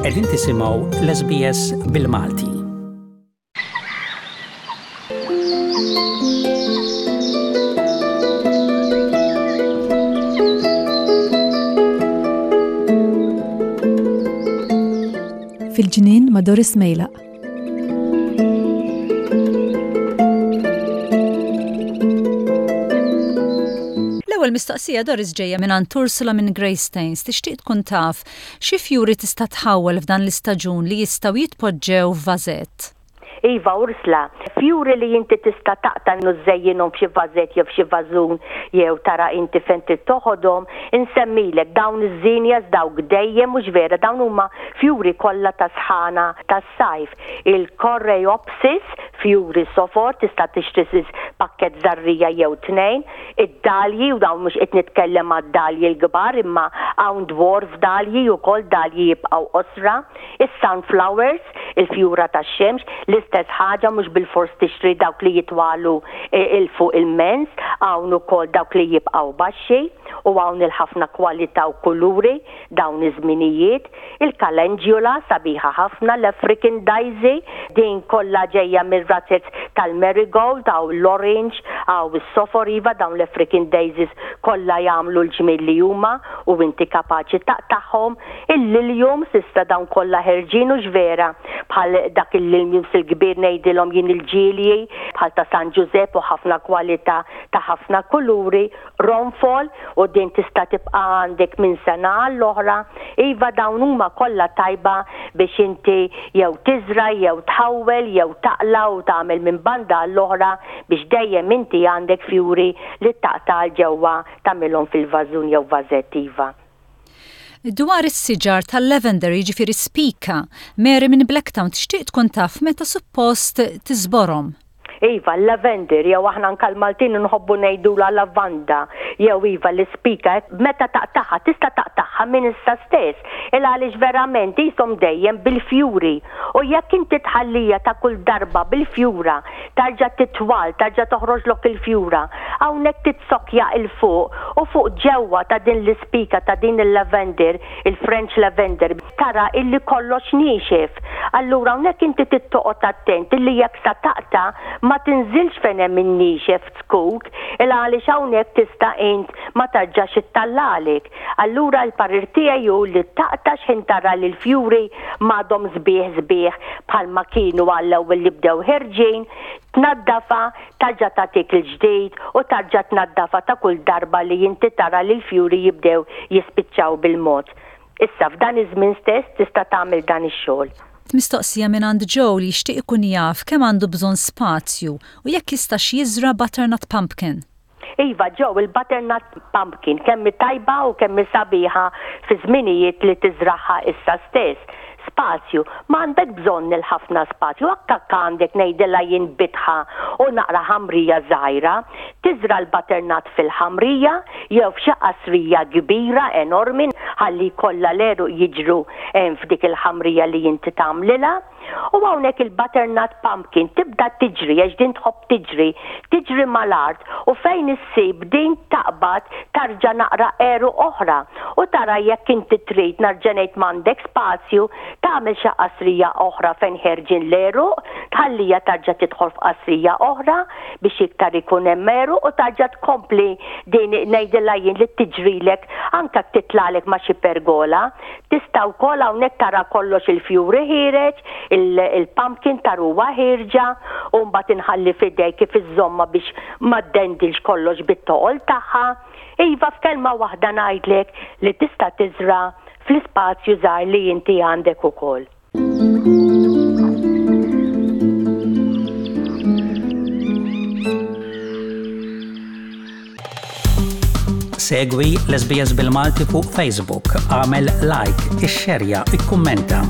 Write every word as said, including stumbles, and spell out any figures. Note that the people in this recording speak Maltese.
Qegħdin tisimgħu l-S B S bil-Malti. Fil-ġnien ma' Doris Mejlaq. L-ewwel mistoqsija, Doris, ġejja minn Ursula minn Greystanes. Tixtieq tkun taf xi fjuri tista' tħawwel f'dan l-istaġun li jistgħu jitpoġġew f'vażett. Iva, Ursula, fjuri li inti tista' taqta' u żżejjinhom f'xi vażett jew f'xi vażun jew tara inti fejn toħodhom, insemmilek dawn iż-zinnias, dawk dejjem, mhux vera, dawn huma fjuri kollha ta' sħana tas-sajf. Il-Coreopsis, fjuri sofor, tista' tixtri pakket żerriegħa jew tnejn, id-dalji, u dawn mhux qed nitkellem għad-dalji l-kbar imma hawn dwarf dalji ukoll, dalji jibqgħu qosra, is-sunflowers, il-fjura tax-xemx, l-istess ħaġa, mhux bil-fors tixtri dawk li jitwalu 'il fuq immens, hawn ukoll dawk li jibqgħu baxxi u hawn il-ħafna kwalità u kuluri dawn iż-żminijiet. Il-calendula sabiħa ħafna, l-African Daisy, din kollha ġejja mir-razez tal-marigold, hawn l-orange, hawn is-sofor, iva, dawn l-African Daisies kollha jagħmlu l-ġmiel li huma u inti kapaċi taqtagħhom. Il-lilium s'issa dawn kollha ħerġin, u vera bħal dak il-liliums il-kbir, ngħidilhom jien il-ġilji, bħal ta' San Giuseppe, u ħafna kwalità ta' ħafna kuluri, ronfol, u din tista' tibqa' għandek minn sena għall-oħra. Iva, dawn huma kollha tajba biex inti jew tiżra jew tħawwel jew taqla u tagħmel minn banda għall-oħra biex dejjem inti għandek fjuri li taqta' ġewwa, tagħmilhom fil-vażun jew vażett, iva. Dwar is-siġar tal-lavender, jiġifieri spika, Mary minn Blacktown tixtieq tkun taf meta suppost tiżborhom. Iva, l-lavender, jew aħna anka l-Maltin nħobbu ngħidula lavanda, jew iva l-ispika, meta taqtagħha, tista' taqtagħha minn issa stess. Il għaliex verament jisom dejjem bil-fjuri. U jekk inti tħallija ta' kull darba bil-fjura, tarġa titwal, tarġa toħroġlok il-fjura, hawnhekk titsokja 'il fuq u fuq ġewwa ta' din l-ispika, ta' din il-lavender, il-French lavender, tara illi kollox niexef. Allura hawnhekk inti trid toqgħod attent illi jekk sa taqta' ma tinżilx fejn hemm in-niexef zkuk, il għaliex hawnhekk tista' int ma tarġax ittellagħlek. Allura l-parir tiegħi hu li taqta' x'ħin tara li l-fjuri m'għadhom sbieħ sbieħ bħalma kienu għall-ewwel li bdew ħerġin, tnaddafa, tarġa' tagħtik il-ġdid u tarġa' tnaddafa ta' kull darba li inti tara li l-fjuri jibdew jispiċċaw bil-mod. Issa f'dan iż-żmien stess tista' tagħmel dan ix-xogħol. Mistoqsija minn għand Joe li jixtieq ikun jaf kemm għandu bżonn spazju u jekk jistax jiżra butternut pumpkin. Iva, Joe, il-butternut pumpkin kemm tajba u kemm sabiħa fi żminijiet li tiżraħha issa stess. Spazju, ma għandek bżonn il-ħafna spazju, akka għandek, ngħidilha jien, bitħa u naqra ħamrija żgħira, tiżra l-butternut fil-ħamrija jew f'xi qasrija kbira enormi ħalli kollha l-għeruq jiġru f'dik il-ħamrija li inti tagħmlilha. U hawnhekk il-butternut pumpkin tibda tiġri, għax din tħobb tiġri, tiġri mal-art u fejn issib din taqbad tarġa naqra għeruq oħra u tara jekk inti trid, nerġa' ngħid, m'għandek spazju, tagħmel xi qasrija oħra fejn ħerġin l-għeruq, tħallija tarġa' tidħol f'qasrija oħra biex iktar ikun hemm għeruq u tarġa' tkompli din, ngħidilha jien, li tiġrilek anka titlalek ma' xi pergola. Tista' wkoll hawnhekk tara kollox il-fjuri ħiereġ, il-pumpkin taruha ħierġa u mbagħad inħalli f'idejk kif iżżomma biex ma ddendilx kollox bit-toqol tagħha. Iva, f'kelma waħda ngħidlek li tista' tiżra fl-ispazju żgħar li inti għandek ukoll. Segwi l-S B S bil-Malti fuq Facebook, għamel like, ixxerja, ikkummenta.